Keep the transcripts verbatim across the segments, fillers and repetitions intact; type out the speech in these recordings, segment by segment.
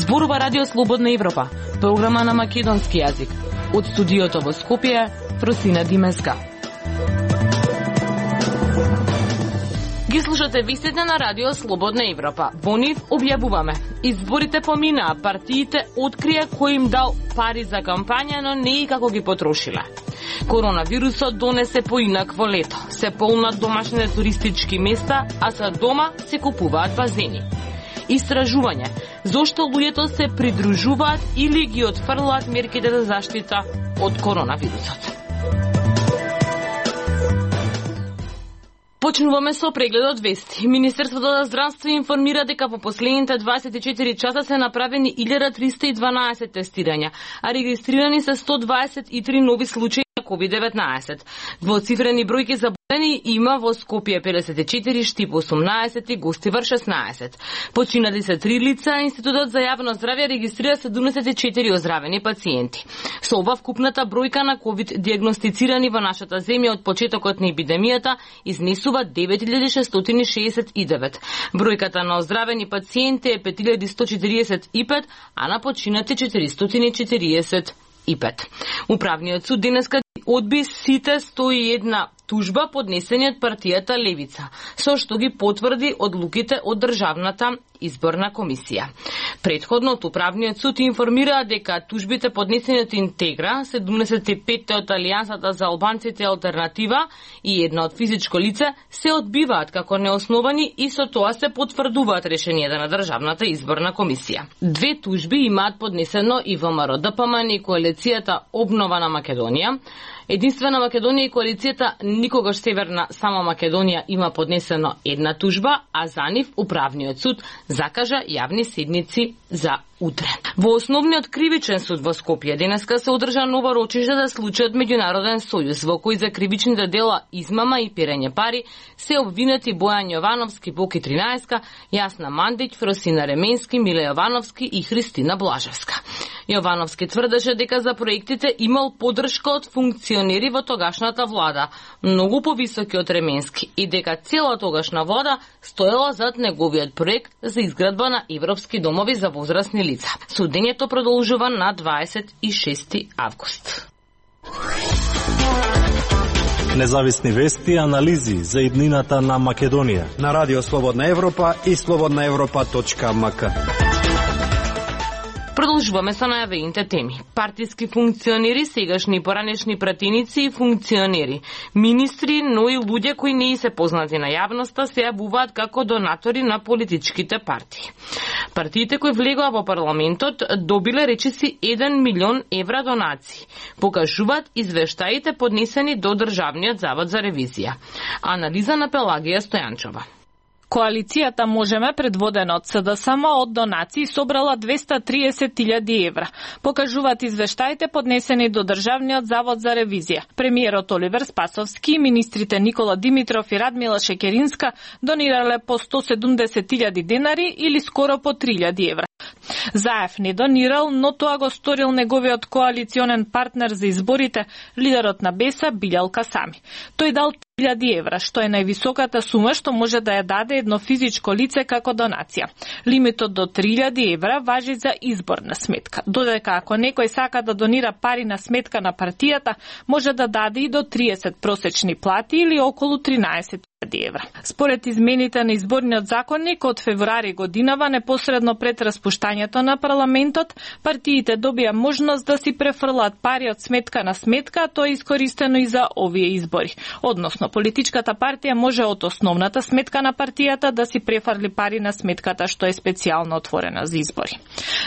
Зборува Радио Слободна Европа, програма на македонски јазик. Од студиото во Скопје, Фросина Димеска. Ги слушате вестите на Радио Слободна Европа. Во нив објавуваме: изборите поминаа, партиите открија кој им дал пари за кампања, но не и како ги потрошиле. Коронавирусот донесе поинакво лето. Се полнат домашните туристички места, а за дома се купуваат базени. Истражување: зошто луѓето се придружуваат или ги отфрлаат мерките за заштита од коронавирусот. Почнуваме со прегледот вести. Министерството за здравство информира дека во последните дваесет и четири часа се направени илјада триста и дванаесет тестирања, а регистрирани се сто дваесет и три нови случаи на ковид деветнаесет. Двоцифрени бројки заболени има во Скопје педесет и четири, Штип осумнаесет и Гостивар шеснаесет. Починали се три лица, а Институтот за јавно здравје регистрира седумдесет и четири оздравени пациенти. Со ова вкупната бројка на ковид диагностицирани во нашата земја од почетокот на епидемијата изнесува девет илјади шестстотини и шеесет и девет. Бројката на оздравени пациенти е пет илјади сто четириесет и пет, а на починати четиристотини и четириесет и пет. Управниот суд денеска одби сите сто и една тужба поднесени од партијата Левица, со што ги потврди одлуките од Државната изборна комисија. Предходно од Управниот суд информира дека тужбите поднесени од Интегра, седумдесет и пет од Алијансата за албанците Алтернатива и една од физичко лице се одбиваат како неосновани и со тоа се потврдуваат решенијата на Државната изборна комисија. Две тужби имаат поднесено и ВМРО Д П М Н и коалицијата Обнова на Македонија. Единствена Македонија и коалицијата Никогаш Северна Само Македонија има поднесено една тужба, а за нив Управниот суд закажа јавни седници за утре. Во Основниот кривичен суд во Скопје денеска се одржа нова рочиште за случајот Меѓународен сојуз, во кој за кривичните дела измама и перење пари се обвинети Бојан Јовановски, Боки тринаесет, Јасна Мандиќ, Фросина Ременски, Миле Јовановски и Христина Блажевска. Јовановски тврдеше дека за проектите имал поддршка од функционери во тогашната влада, многу повисоки од Ременски, и дека цела тогашна влада стоела зад неговиот проект за изградба на европски домови за возрастни лица. Судењето продолжува на дваесет и шести август. Независни вести и анализи за иднината на Македонија на Радио Слободна Европа и слободна европа точка ем ка. Продолжуваме со најавените теми. Партиски функционери, сегашни и поранешни пратеници и функционери, министри, но и луѓе кои не се познати на јавноста се јавуваат како донатори на политичките партии. Партиите кои влегоа во парламентот добиле речиси еден милион евра донации. Покажуваат извештаите поднесени до Државниот завод за ревизија. Анализа на Пелагија Стојанчова. Коалицијата Можеме, предводена од С Д С М, од донации собрала двеста триесет илјади евра. Покажуваат извештаите поднесени до Државниот завод за ревизија. Премиерот Оливер Спасовски и министрите Никола Димитров и Радмила Шекеринска донирале по сто седумдесет илјади денари или скоро по три илјади евра. Заев не донирал, но тоа го сторил неговиот коалиционен партнер за изборите, лидерот на Беса Билјал Касами. Тој дал три илјади евра, што е највисоката сума што може да ја даде едно физичко лице како донација. Лимитот до три илјади евра важи за изборна сметка, додека ако некој сака да донира пари на сметка на партијата, може да даде и до триесет просечни плати или околу тринаесет илјади евра. Според измените на изборниот законник од февруари годинава, непосредно пред распуштањето на парламентот, партиите добија можност да си префрлат пари од сметка на сметка, а тоа е искористено и за овие избори. Односно, политичката партија може од основната сметка на партијата да си префрли пари на сметката што е специјално отворена за избори.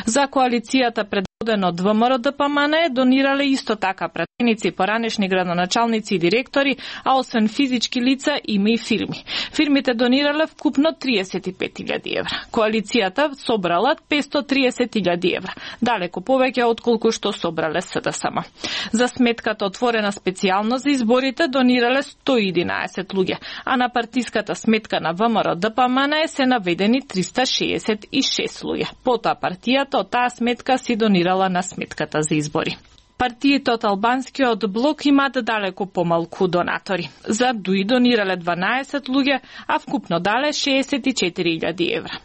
За коалицијата предводена од В М Р Д П М Н донирале исто така пратеници, поранешни градоначалници и директори, а освен физички лица има и фирми. Фирмите донирале вкупно триесет и пет илјади евра. Коалицијата собрала петстотини и триесет илјади евра, далеку повеќе отколку што собрале С Д С М. За сметката отворена специјално за изборите донирале сто и единаесет луѓе, а на партиската сметка на В М Р Д П М Н се наведени триста шеесет и шест луѓе. Потоа партијата од таа сметка си донирала на сметката за избори. Партиите од албанскиот блок имаат далеку помалку донатори. За ДУИ донирале дванаесет луѓе, а вкупно дале шеесет и четири илјади евра.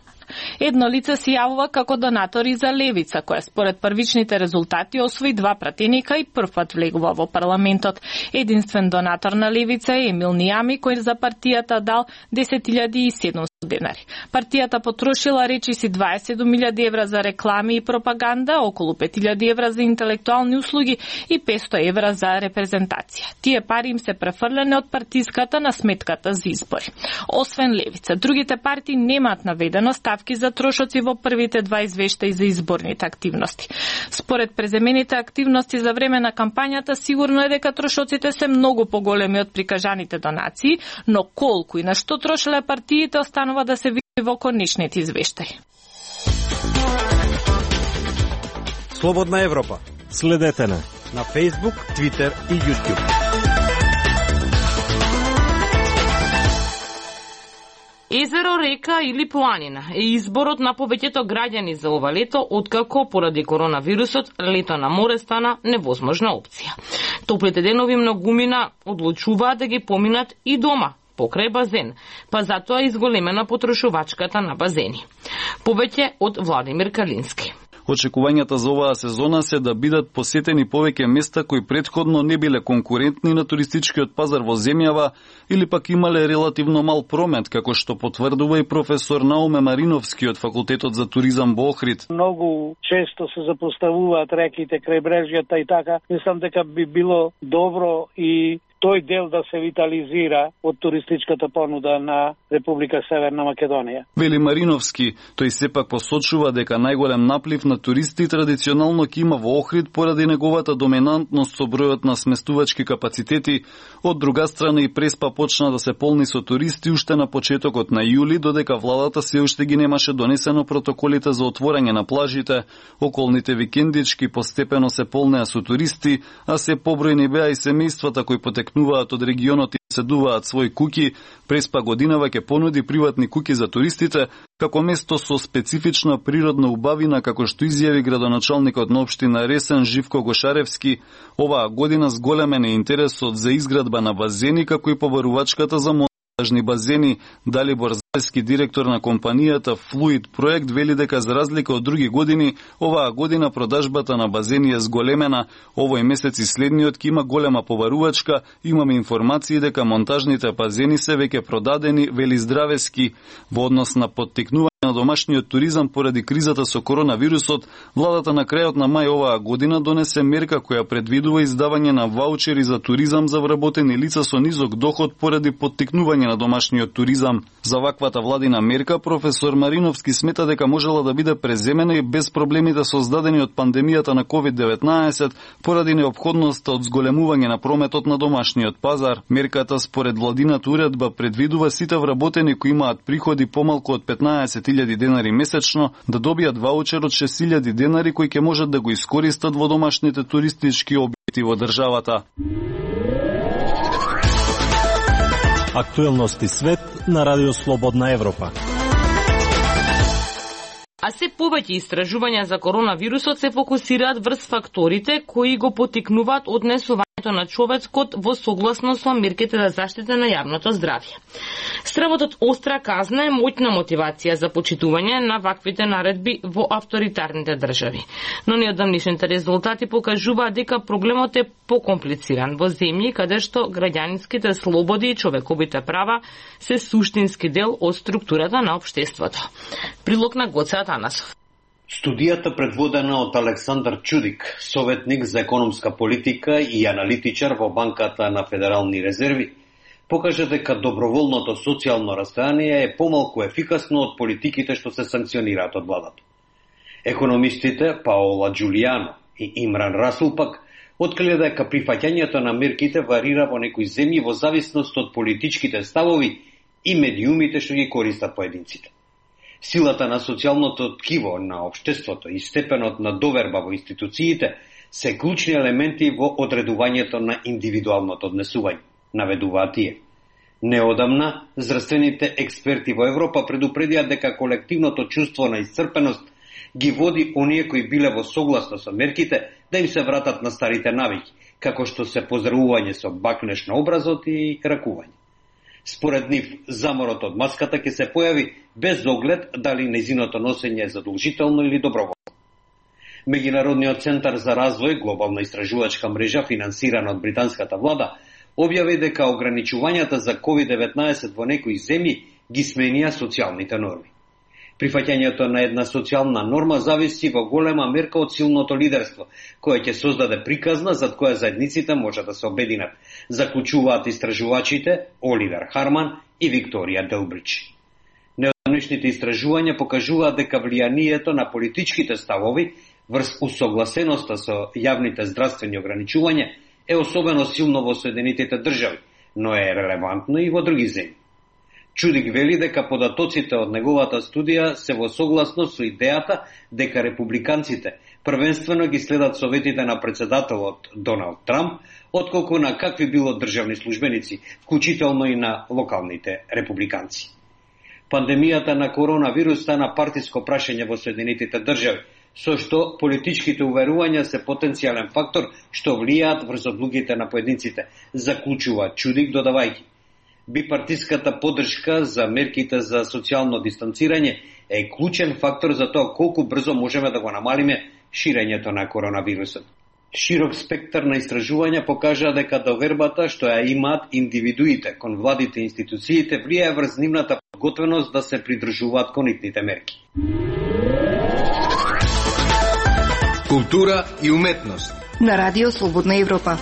Едно лице се јавува како донатор и за Левица, која според првичните резултати освои два пратеника и првпат влегува во парламентот. Единствен донатор на Левица е Емил Нијами, кој за партијата дал десет илјади и седумстотини денари. Партијата потрошила речиси дваесет и седум илјади евра за реклами и пропаганда, околу пет илјади евра за интелектуални услуги и петсто евра за репрезентација. Тие пари им се префрлени од партиската на сметката за избори. Освен Левица, другите партии немаат наведено ставки за трошоци во првите два извештаи за изборните активности. Според преземените активности за време на кампањата, сигурно е дека трошоците се многу поголеми од прикажаните донации, но колку и на што трошеле партиите останува да се види во конечните извештаи. Слободна Европа. Следете не на Facebook, Twitter и YouTube. Езеро, река или планина е изборот на повеќето граѓани за ова лето, откако поради коронавирусот лето на море стана невозможна опција. Топлите денови многумина одлучуваат да ги поминат и дома, покрај базен, па затоа изголемена потрошувачката на базени. Повеќе од Владимир Калински. Очекувањата за оваа сезона се да бидат посетени повеќе места кои претходно не биле конкурентни на туристичкиот пазар во земјава или пак имале релативно мал промет, како што потврдува и професор Науме Мариновски од Факултетот за туризам во Охрид. Многу често се запоставуваат реките, крајбрежјата и така. Мислам дека би било добро и тој дел да се витализира од туристичката понуда на Република Северна Македонија. Вели Мариновски, тој сепак посочува дека најголем наплив на туристи традиционално ќе има во Охрид поради неговата доминантност со бројот на сместувачки капацитети. Од друга страна и Преспа почна да се полни со туристи уште на почетокот на јули, додека владата се уште ги немаше донесено протоколите за отворање на плажите. Околните викендички постепено се полнеа со туристи, а се побројни беа и семејствата кои потекнуваат од регионот и седуваат своји куќи. Преспа годинава ќе понуди приватни куќи за туристите, како место со специфична природна убавина, како што изјави градоначалникот на општина Ресен Живко Гошаревски. Оваа година зголемен е интересот за изградба на базени, како и побарувачката за монтажни базени. Далибор Заевски, директор на компанијата Fluid Проект, вели дека за разлика од други години, оваа година продажбата на базени е зголемена. Овој месец и следниот ќе има голема побарувачка. Имаме информации дека монтажните базени се веќе продадени, вели Здравески. Во однос на поттикнување на домашниот туризам поради кризата со коронавирусот, владата на крајот на мај оваа година донесе мерка која предвидува издавање на ваучери за туризам за вработени лица со низок доход поради поттикнување на домашниот туризам. За ваквата владина мерка професор Мариновски смета дека можела да биде преземена и без проблемите создадени од пандемијата на ковид деветнаесет поради неопходноста од зголемување на прометот на домашниот пазар. Мерката според владината уредба предвидува сите вработени кои имаат приходи помалку од петнаесет илјади денари месечно да добијат ваучер од шест илјади денари кои ќе можат да го искористат во домашните туристички објекти во државата. Актуелности свет на Радио Слободна Европа. А се повеќе истражувања за коронавирусот се фокусираат врз факторите кои го поттикнуваат однесувањето на човекот во согласност со мерките за заштита на јавното здравје. Стравотот остра казна е моќна мотивација за почитување на ваквите наредби во авторитарните држави. Но неодамнишните резултати покажуваат дека проблемот е покомплициран во земји каде што граѓанските слободи и човековите права се суштински дел од структурата на општеството. Прилог на Гоце Атанасов. Студијата предводена од Александар Чудик, советник за економска политика и аналитичар во Банката на Федерални резерви, покажа дека доброволното социјално растојание е помалку ефикасно од политиките што се санкционираат од владата. Економистите Паола Джулијано и Имран Расул пак откриле дека прифаќањето на мерките варира во некои земји во зависност од политичките ставови и медиумите што ги користат поединците. Силата на социјалното ткиво на општеството и степенот на доверба во институциите се клучни елементи во одредувањето на индивидуалното однесување, наведуваат тие. Неодамна, здравствените експерти во Европа предупредија дека колективното чувство на исцрпеност ги води оние кои биле во согласно со мерките да им се вратат на старите навики, како што се поздравување со бакнеш на образот и ракување. Според нив, заморот од маската ќе се појави без оглед дали нејзиното носење е задолжително или доброволно. Меѓународниот центар за развој, глобална истражувачка мрежа финансирана од британската влада, објави дека ограничувањата за ковид деветнаесет во некои земји ги сменија социјалните норми. Прифаќањето на една социјална норма зависи во голема мерка од силното лидерство, кое ќе создаде приказна зад која заедниците може да се обединат, заклучуваат истражувачите Оливер Харман и Викторија Делбрич. Неодамнешните истражувања покажуваат дека влијанието на политичките ставови врз усогласеноста со јавните здравствени ограничувања е особено силно во Соединетите држави, но е релевантно и во други земји. Чудик вели дека податоците од неговата студија се во согласност со идејата дека републиканците првенствено ги следат советите на председателот Доналд Трамп, отколку на какви било државни службеници, вклучително и на локалните републиканци. Пандемијата на коронавирус стана партиско прашање во Соединетите држави, со што политичките уверувања се потенцијален фактор што влијаат врз одлугите на поединците, заклучува Чудик додавајќи. Бипартиската поддршка за мерките за социјално дистанцирање е клучен фактор за тоа колку брзо можеме да го намалиме ширењето на коронавирусот. Широк спектар на истражувања покажа дека довербата што ја имаат индивидуите кон владите и институциите влијае врз нивната подготвеност да се придржуваат кон итните мерки. Култура и уметност на Радио Слободна Европа.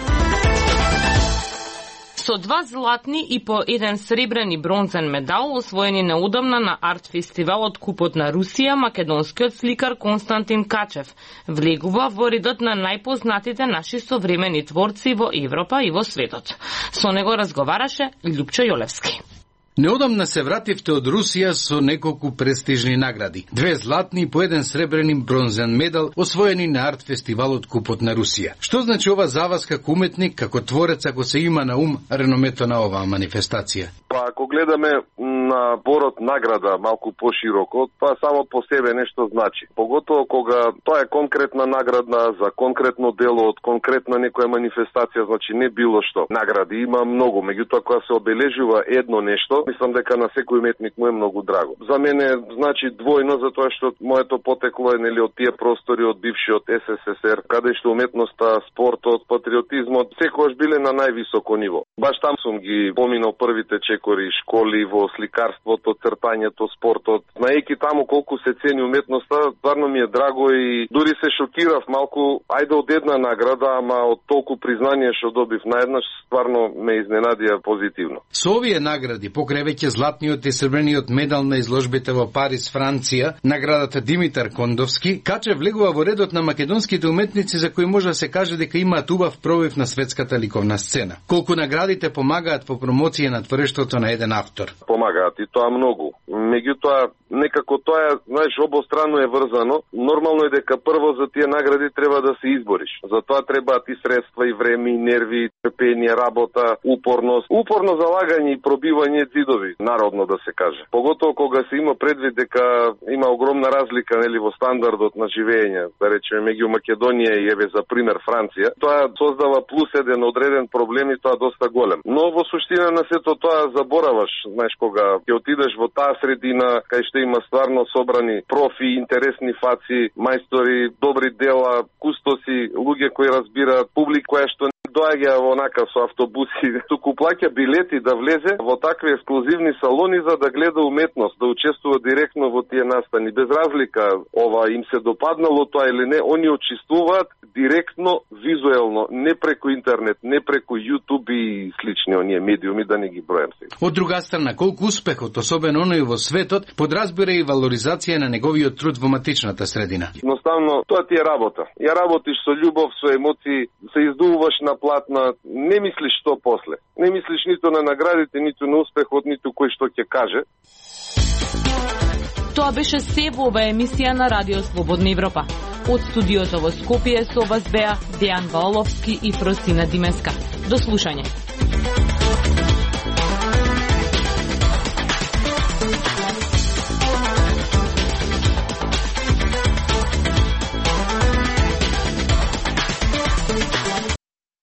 Со два златни и по еден сребрен и бронзен медал, освоени неудамна на арт фестивалот Купот на Русија, македонскиот сликар Константин Качев влегува во редот на најпознатите наши современи творци во Европа и во светот. Со него разговараше Љупчо Јолевски. Неодамна се вративте од Русија со неколку престижни награди. Две златни и по еден сребрен и бронзен медал освоени на арт фестивалот Купот на Русија. Што значи ова за вас како уметник, како творец, ако се има на ум реномето на оваа манифестација? Па ако гледаме на борот награда малку пошироко, тоа само по себе нешто значи. Поготово кога тоа е конкретна награда за конкретно дело од конкретна некоја манифестација, значи не било што. Награди има многу, меѓутоа кога се обележува едно нешто, мислам дека на секој уметник му е многу драго. За мене значи двојно, затоа што моето потекло е нели од тие простори од бившиот Ес Ес Ес Ер, каде што уметноста, спортот, патриотизмот секогаш биле на највисоко ниво. Баш там сум ги поминал првите чекори, школи во сликарството, цртањето, спортот. Знаејќи таму колку се цени уметноста, стварно ми е драго и дури се шокирав малку, ајде од една награда, ама од толку признание што добив наеднаш, стварно ме изненадија позитивно. Со овие награди, покрај веќе златниот и сребрениот медал на изложбите во Париз, Франција, наградата Димитар Кондовски, Качев влегува во редот на македонските уметници за кои може да се каже дека имаат убав пробив на светската ликовна сцена. Колку наградите помагаат во промоција на творештвото на еден автор? Помагаат и тоа многу. Меѓутоа, некако тоа, знаеш, обостранно е врзано. Нормално е дека прво за тие награди треба да се избориш. За тоа требаат и средства, и време, и нерви, и трпение, работа, упорност. Упорно залагање и пробивање дзидови, народно да се каже. Поготово кога се има предвид дека има огромна разлика нели во стандардот на живење, да речеме меѓу Македонија и еве за пример Франција, тоа создава плюс еден одреден проблем и тоа доста голем. Но во суштина на сето тоа забораваш, знаеш, кога ќе отидеш во таа средина кај што има стварно собрани профи, интересни фаци, мајстори, добри дела, кустоси, луѓе кои разбираат, публика која што доаѓа во нака со автобуси, туку плаќа билети да влезе во такви ексклузивни салони за да гледа уметност, да учествува директно во тие настани. Без разлика ова им се допаднало тоа или не, они учествуваат директно, визуелно, не преку интернет, не преку YouTube и слични оние медиуми, да не ги бројам сега. Од друга страна, колку успехот, особено оној во светот, подразбира и валоризација на неговиот труд во матичната средина. Едноставно, тоа ти е работа. Ја работиш со љубов, со емоции, се издувуваш на платна, не мислиш што после. Не мислиш ниту на наградите, ниту на успехот, ниту кој што ќе каже. Тоа беше се во ова емисија на Радио Слободна Европа. Од студиото во Скопје со вас беа Дејан Ваоловски и Фросина Димеска. До слушање.